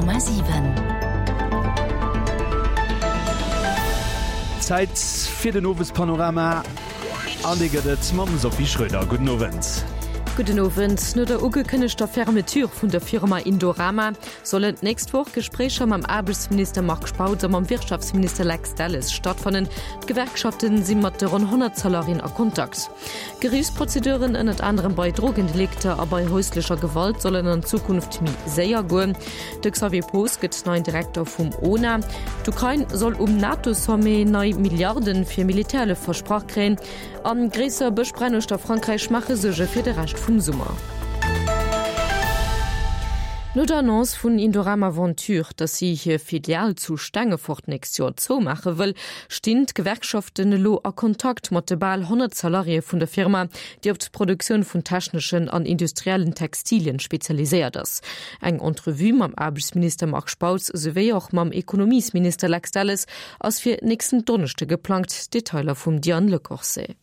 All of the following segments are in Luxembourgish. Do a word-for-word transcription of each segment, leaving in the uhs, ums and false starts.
Honnert Komma siwen. Zäit fir den Owespanorama an dee gëtt et mam Sophie Schröder. Gudden Owend. Gudden Owend. No der ugekënnegter Fermeture vun der Firma Indorama sollen d'nächst Woch Gespréicher mam Aarbechtsminister Marc Spautz a mam Wirtschaftsminister Lex Delles stattfannen. D'Gewerkschaften si mat de ronn honnert Salariéen a Kontakt. Geriichtsprozeduren, ënnert anerem bei Drogendelikter a bei häuslecher Gewalt, sollen an Zukunft méi séier goen. De Xavier Poos gëtt neien Direkter vum O N A. D'Ukrain soll um NATO-Sommet nei Milliarden fir Militärhëllef versprach kréien. An gréisser Bëschbränn uechter Frankräich maache Suerge fir de Rescht vum Summer. No der Annonce vun Indorama Venture, datt si hir Filial zu Stengefort d'nächst Joer zoumaache wëll, stinn d'Gewerkschaften elo a Kontakt mat de bal honnert Salariéë vun der Firma, déi op d'Produktioun vun techneschen an industriellen Textilien spezialiséiert ass. Eng Entrevue mam Aarbechtsminister Marc Spautz souwéi och mam Ekonomiesminister Lex Delles ass fir nächsten Donneschde geplangt. Detailer vum Diane Lecorset.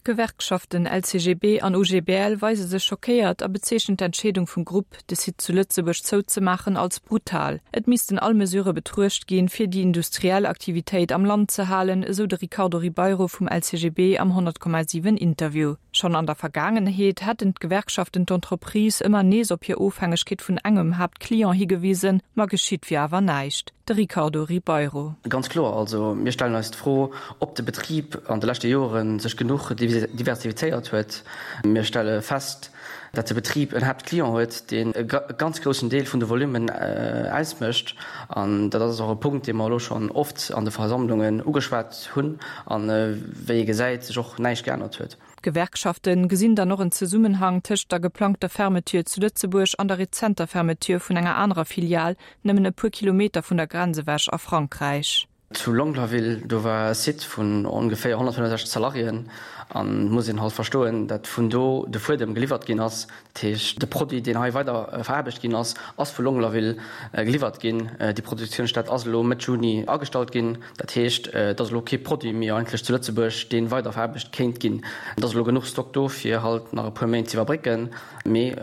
D'Gewerkschaften L C G B an U G B L weise sech schockéiert a bezeechnen d'Entscheedung vum Grupp, de Site zu Lëtzebuerg zouzemaachen, als brutal. Et missten all Mesurë betruecht ginn, fir déi industriell Aktivitéit am Land ze halen, esou de Ricardo Ribeiro vum L C G B am honnert Komma siwen Interview. Schonn an der Vergaangenheet hätten d'Gewerkschaften d'Entreprise ëmmer nees op hir Ofhängegkeet vun engem Haaptclient higewisen, ma geschitt wier awer näischt. De Ricardo Ribeiro. Ganz kloer, also mir stellen eis d'Fro, ob de Betrib an de leschte Jore sech genuch diversifizéiert huet. Mir stelle fest, datt de Betrib en Haaptclient huet, deen e ganz groussen Deel vun de Volummen ausmécht. An dat ass och e Punkt, dee mer elo schonn oft an de Versammlungen ugeschwat hunn an, wéi ee gesäit, sech och näischt geännert huet. D'Gewerkschafte gesinn dann och en Zesummenhang tëscht der geplangter Fermeture zu Lëtzebuerg an der rezenter Fermeture vun enger anerer Filial, nëmmen e puer Kilometer vun der Grenz ewech a Frankräich. Zu Longlaville, do war e Site vun ongeféier honnertfënnefensechzeg Salariéen an et muss een halt verstoen, datt vun do de Fuedem geliwwert ginn ass. Dat heescht, de Produit, deen hei weider veraarbecht ginn ass, ass vu Longlaville geliwwert ginn. Déi Produktiounsstätt ass elo Mëtt Juni agestallt ginn. Dat heescht, et ass elo kee Produit méi eigentlech zu Lëtzebuerg, dee weider veraarbecht kéint ginn. Et ass elo genuch Stock do, fir halt nach e puer Méint ze iwwerbrécken, mee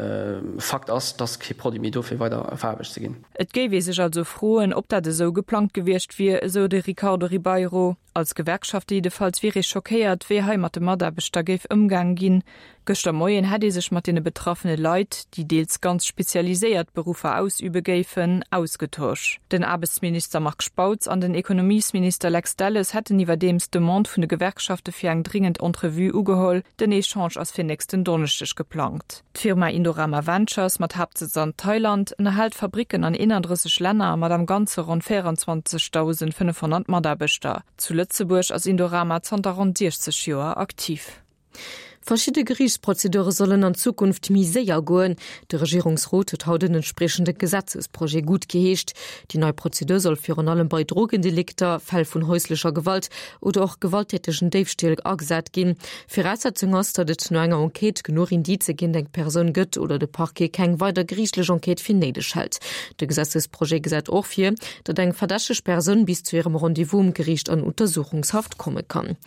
Fakt ass, et ass kee Produit méi do, fir weider veraarbecht ze ginn. Et géif ee sech also froen, ob dat esou geplangt gewiescht wier, esou de Ricardo Ribeiro. Als Gewerkschafte jiddefalls wier ee schockéiert, wéi hei mat de Mataarbechter géif ëmgaang ginn. Gëschter Moien hätt ee sech mat deene betraffene Leit, déi deels ganz spezialiséiert Beruffer ausübe géifen, ausgetosch. Den Aarbechtsminister Marc Spautz an den Ekonomiesminister Lex Delles hätten iwwerdeems d'Demande vun de Gewerkschafte fir eng dringend Entrevue ugeholl. Den Echange ass fir nächsten Donneschdeg geplangt. D'Firma Indorama Ventures mat Haaptsëtz an Thailand ënnerhält Fabricken an eenandrësseg Länner mat am Ganze ronn véierenzwanzegdausendfënnefhonnert Mataarbechter. Zu Lëtzebuerg ass Indorama zanter ronn siechzeg Joer aktiv. Verschidde Geriichtsprozedure sollen an Zukunft méi séier goen. De Regierungsrot huet haut en entspriechende Gesetzesprojet guttgeheescht. Déi nei Prozedur soll virun allem bei Drogendelikter, Fäll vun häuslecher Gewalt oder och gewalttätegen Déifstill agesat ginn. Viraussetzung ass, datt et no enger Enquête genuch Indize géint eng Persoun gëtt oder de Parquet keng weider geriichtlech Enquête fir néideg hält. De Gesetzesprojet gesäit och vir, datt eng verdächteg Persoun bis zu hirem Rendez-vous um Geriicht an Untersuchungshaft komme kann.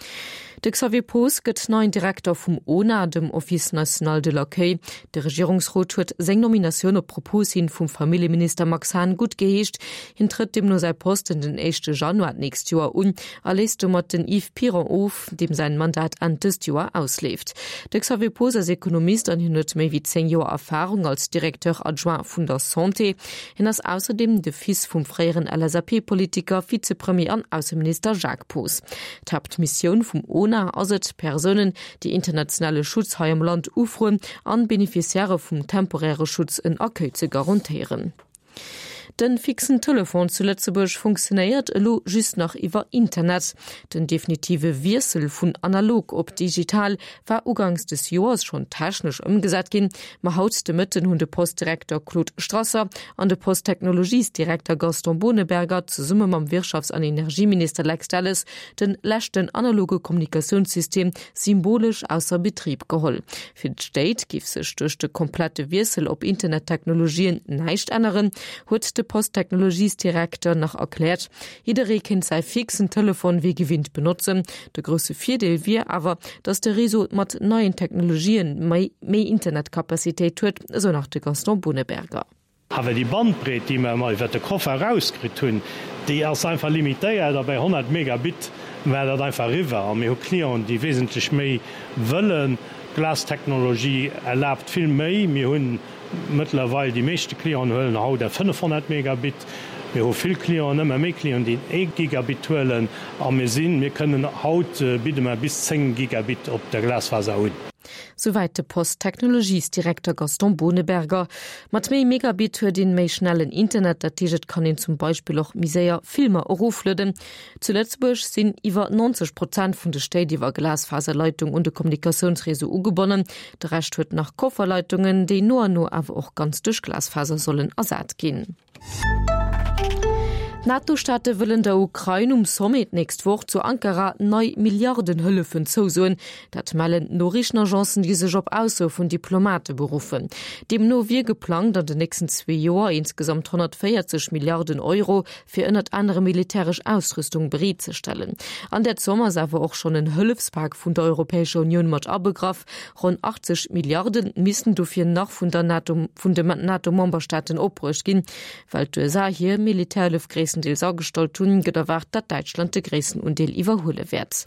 De Xavier Poos gëtt neien Direkter vum O N A, dem Office national de l'accueil. De Regierungsrot huet seng Nominatioun op Propos hin vum Familljeminister Max Hahn guttgeheescht. Hien trëtt deemno säi Posten den éischte Januar d'nächst Joer un a léist domat den Yves Piron of, deem säin Mandat Enn dëst Joer ausleeft. De Xavier Poos ass Ekonomist an hien huet méi wéi zéng Joer Erfarung als Directeur adjoint vun der Santé. Hien ass ausserdeem de Fils vum fréieren L S A P-Politiker, Vizepremier an Ausseminister Jacques Poos. D'Haaptmissioun vum O N A ass et, Persounen, déi internationale Schutz hei am Land ufroen, an Beneficiairë vum temporäre Schutz en Accueil ze garantéieren. Den fixen Telefon zu Lëtzebuerg funktionéiert elo just nach iwwer Internet. Den definitive Wiessel vun analog op digital war ugangs des Joers schonn technesch ëmgesat ginn, ma haut de Mëtten hunn de Postdirekter Claude Strasser an de Posttechnologiesdirekter Gaston Boneberger zesumme mam Wirtschafts an Energieminister Lex Delles den leschten analoge Kommunikatiounssystem symbolesch ausser Betrib geholl. Fir d'Stéit géif sech duerch de komplette Wiessel op Internettechnologien näischt änneren, huet de Posttechnologiesdirekter nach erkläert. Jidderee kéint säi fixen Telefon wéi gewinnt benotzen. De grousse Virdeel wier awer, datt de Réseau mat neien Technologien méi méi Internetkapazitéit huet, esou nach de Gaston Boneberger. Awer déi Bandbreet, déi mer emol iwwert de Koffer erauskritt hunn, déi ass einfach limitéiert a bei honnert Megabit war dat einfach eriwwer. A mir hu Clienten, déi wesentlech méi wëllen. D'Glastechnologie erlaabt vill méi. Mir hunn mëttlerweil, déi meeschte Clienten huelen haut der fënnefhonnert Megabit. Mir hu vill Clienten, ëmmer méi Clienten, déi ee Gigabit huelen. A mir sinn, mir kënnen haut bidde mer bis zéng Gigabit op der Glasfaser un. Souwäit de Post-Technologies-Direkter Gaston Boneberger. Mat méi Megabit huet een méi schnellen Internet, dat heescht et kann een zum Beispill och méi séier Filmer eroflueden. Zu Lëtzebuerg sinn iwwer neunzeg Prozent vun de Stéit iwwer Glasfaserleitung un de Kommunikatiounsreseau ugebonnen. De Rescht huet nach Kofferleitungen, déi no an no awer och ganz duerch Glasfaser sollen ersat ginn. D'NATO-Staate wëllen der Ukrain um Sommet d'nächst Woch zu Ankara nei Milliardenhëllefen zousoen. Dat mellen d'Noriichtenagencen, déi sech op Aussoe vun Diplomate beruffen. Deemno wier geplangt, an den nächsten zwee Joer insgesamt honnertvéierzeg Milliarden Euro fir ënnert anerem militäresch Ausrüstung bereetzestellen. An där Zomm ass awer och schonn en Hëllefspak vun der Europäescher Unioun mat abegraff. Ronn achtzeg Milliarde missten dofir nach vun der NATO, vun de NATO-Memberstaaten opbruecht ginn. Well d'USA hir Militärhëllef gréisstendeels agestallt hunn, gëtt erwaart, datt Däitschland de gréissten Undeel iwwerhuele wäert.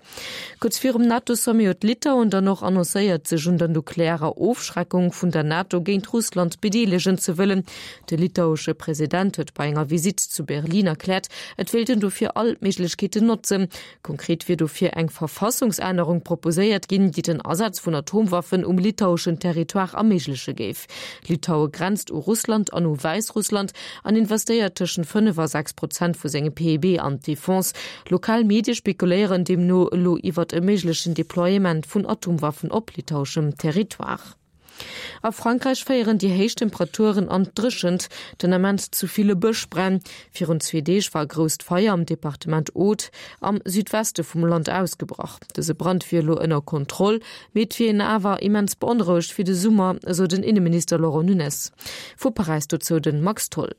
Kuerz virum NATO-Sommet huet Litauen dann och annoncéiert, sech un der nuklearer Ofschreckung vun der NATO géint Russland bedeelegen ze wëllen. De litauesche President huet bei enger Visitt zu Berlin erkläert, et wéilt en dofir all Méiglechkeeten notzen. Konkret wier dofir eng Verfassungsännerung proposéiert ginn, déi den Asaz vun Atomwaffen um litaueschen Territoire erméigleche géif. Litaue grenzt u Russland an u Wäissrussland an investéiert tëschent fënnef a sechs Prozent vu sengem P I B an d'Defense. Lokal Medie spekuléieren deemno elo iwwert e méiglechen Deploiement vun Atomwaffen op litaueschem Territoire. A Frankräich féieren déi héich Temperaturen an d'Dréchent den Ament zu ville Bëschbränn. Virun zwee Deeg war e grousst Feier am Departement Aude am Südweste vum Land ausgebrach. Dëse Brand wier elo ënner Kontroll, mee et wier een awer immens beonrouegt fir de Summer, esou den Inneminister Laurent Nunez. Vu Paräis dozou de Max Tholl.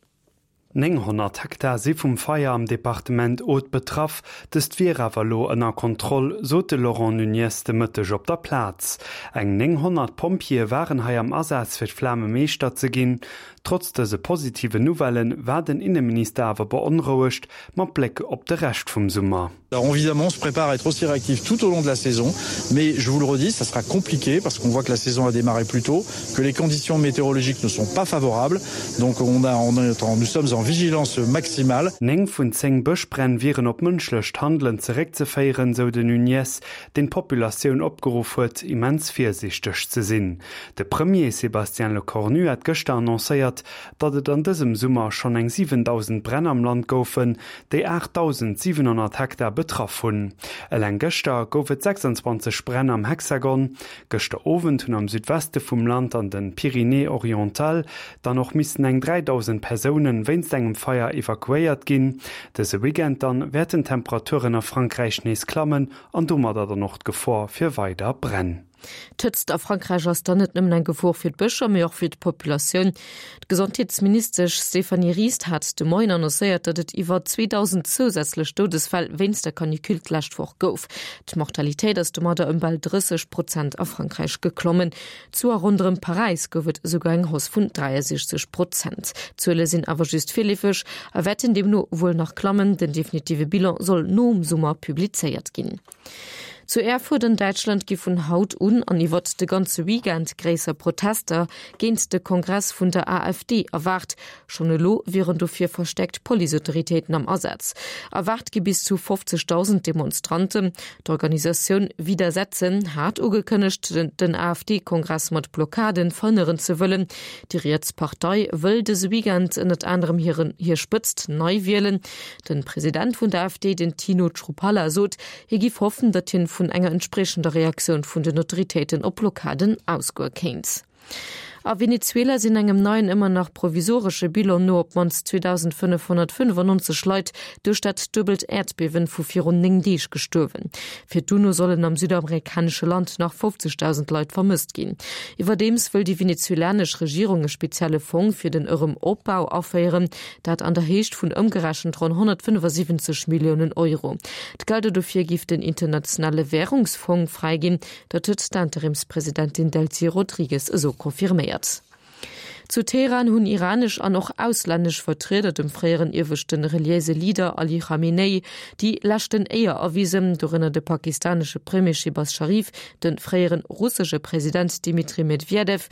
nénghonnert Hektar si vum Feier am Departement Aude betraff, dëst wier awer elo ënner Kontroll, sot de Laurent Nunez de Mëtteg op der Plaz. Eng nénghonnert Pompjeeë waren hei am Asaz fir d'Flame Meeschter ze ginn. Trotz dëse positiven Nouvellen war den Inneminister awer beonrouegt mat Bléck op de Rescht vum Summer. Alors évidemment, on se prépare à être aussi réactif tout au long de la saison, mais je vous le redis, ça sera compliqué parce qu'on voit que la saison a démarré plus tôt, que les conditions météorologiques ne sont pas favorables, donc on a, on est en, nous sommes en vigilance maximale. Néng vun zéng Bëschbränn wieren op mënschlecht Handelen zeréckzeféieren, sou den Nunez, deen d'Populatioun opgeruff huet, immens virsiichteg ze sinn. De Premier Sébastien Lecornu hat gëschter annoncéiert, datt et an dësem Summer schonn eng siwendausend Bränn am Land goufen, déi aachtdausendsiwenhonnert Hektar betraff hunn. Eleng gëschter gouf et sechsundzwanzeg Bränn am Hexagon. Gëschter Owend hunn am Südweste vum Land an den Pyrénées-Orientales dann och missen eng dräidausend Persounen wéinst engem Feier evakuéiert ginn. Dëse Weekend dann wäerten d'Temperaturen a Frankräich nees klammen an domadder dann och d'Gefor fir weider Bränn. D'Hëtzt a Frankräich ass dann net nëmmen eng Gefor fir d'Bëscher, mee och fir d'Populatioun. D'Gesondheetsministesch Stéphanie Rist hat de Moien annoncéiert, datt et iwwer zweedausend zousätzlech Doudesfäll wéinst der Canicule d'lescht Woch gouf. D'Mortalitéit ass domadder ëm bal drësseg Prozent a Frankräich geklommen. Zu a ronderëm Paräis gouf et esouguer eng Hausse vun dräiasiechzeg Prozent. D'Zuele sinn awer just virleefeg a wäerten deemno wuel nach klammen. Den definitive Bilan soll nom Summer publizéiert ginn. Zu Erfurt an Däitschland gi vun haut un an iwwert de ganze Weekend gréisser Protester géint de Kongress vun der A F D erwaart. Schonn elo wieren dofir verstäerkt Policeautoritéiten am Asaz. Erwaart gi bis zu fofzegdausend Demonstranten. D'Organisatioun Widersetzen hat ugekënnegt, den A F D-Kongress mat Blockaden verhënneren ze wëllen. Déi riets Partei wëll dëse Weekend ënnert anerem hiren hir Spëtzt nei wielen. Den President vun der A F D, den Tino Chrupalla, sot, hie giff hoffen, datt hien vun enger entspriechender Reaktioun vun den Autoritéiten op Blockaden ausgoe kéint. A Venezuela sinn engem neien, ëmmer nach provisoresche Bilan no op d'mannst zweedausendfënnefhonnertfënnefannonzeg Leit duerch dat duebelt Äerdbiewen vu virun néng Deeg gestuerwen. Fir d'UNO sollen am südamerikanesche Land nach fofzegdausend Leit vermësst ginn. Iwwerdeems wëll déi venezuelanesch Regierung e spezielle Fong fir den Erëm-Opbau aféieren, dat an der Héicht vun ëmgerechent ronn honnertfënnefasiwwenzeg Milliounen Euro. D'Gelder dofir giff den Internationale Wärungsfong fräiginn, dat huet d'Interimspresidentin Delcy Rodrigues esou confirméiert. Zu Teheran hunn iranesch an och auslännesch Vertrieder dem fréieren ieweschte reliéise Leader Ali Khamenei déi leschten Éier erwisen, dorënner de pakistanesche Premier Shehbaz Sharif, de fréiere russesche President Dmitri Medwedew,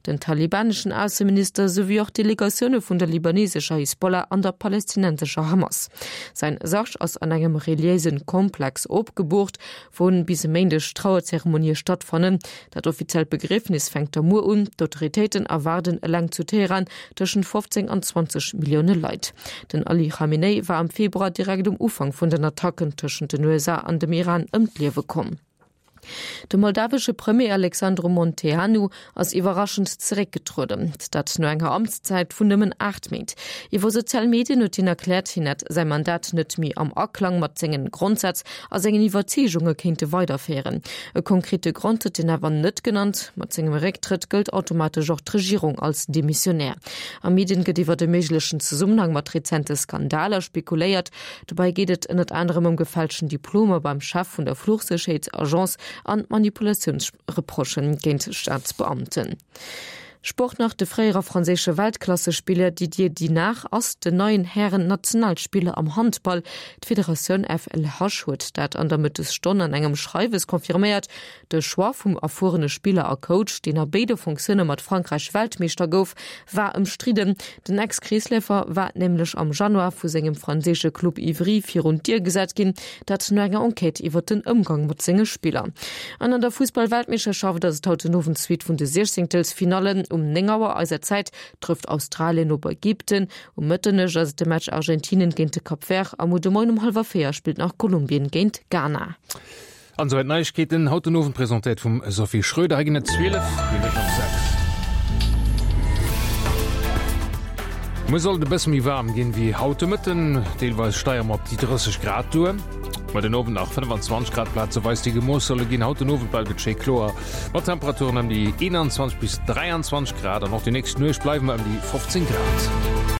den talibaneschen Ausseminister souwéi och Delegatioune vun der libanesescher Hisbollah an der palestinensescher Hamas. Säin Sarg ass an engem reliéise Komplex opgeboort, wou bis e Méindeg Trauerzeremonië stattfannen. Dat offiziellt Begriefnis fänkt da muer un. D'Autoritéiten erwaarden eleng zu Teheran tëschent fofzéng an zwanzeg Millioune Leit. Den Ali Khamenei war am Februar direkt um Ufank vun den Attacken tëschent den U S A an dem Iran ëm d'Liewe komm. De moldawesche Premier Alexandru Munteanu ass iwwerraschend zeréckgetrueden, dat no enger Amtszäit vun nëmmen aacht Méint. Iwwer sozial Medien huet hien erkläert, hien hätt säi Mandat net méi am Aklang mat sengen Grondsätz a sengen Iwwerzeegunge kéinte weiderféieren. E konkrete Grond huet hien awer net genannt. Mat sengem Récktrëtt gëllt automatesch och d'Regierung als demissionär. A Medien gëtt iwwer e méiglechen Zesummenhang mat rezente Skandaler spekuléiert. Dobäi geet et ënnert anerem ëm gefälschten Diplomer beim Chef vun der Fluchsécherheetsagence an Manipulatiounsreprochë géint Staatsbeamten. Sport nach, De fréiere franséische Weltklassespiller Didier Dinart ass den neien Hären-Nationalspiller am Handball. D'Federatioun F L H huet dat an der Mëttesstonn an engem Schreiwes confirméiert. De Choix vum erfuerene Spiller a Coach, deen a béide Funktioune mat Frankräich Weltmeeschter gouf, war ëmstridden. Den Ex-Kreesleefer war nämlech am Januar vu sengem franséische Club Ivry virun d'Dier gesat ginn, dat no enger Enquête iwwer den Ëmgang mat senge Spiller. An an der Fussball-Weltmeeschterschaft ass et haut den Owend d'Suite vun de Siechzéngtelsfinallen. Um néng Auer eiser Zäit trëfft Australien op Ägypten, um Mëtternuecht ass et de Match Argentinien géint de Cap Vert a muer de Moien um hallwer véier spillt nach Kolumbien géint Ghana. An souwäit d'Neiegkeeten haut den Owend, presentéiert vum Sophie Schröder. Hei ginn et zwielef Minutten op sechs. Muer soll et e bësse méi waarm ginn wéi haut de Mëtten, deelweis steige mer op déi drësseg Grad duer. Muer den Owend nach fënnefanzwanzeg Grad plazeweis, déi gemooss solle ginn. Haut den Owend bleift et schéi kloer mat Temperaturen ëm déi eenanzwanzeg bis dräianzwanzeg Grad an och déi nächst Nuecht bleiwe mer ëm déi fofzéng Grad.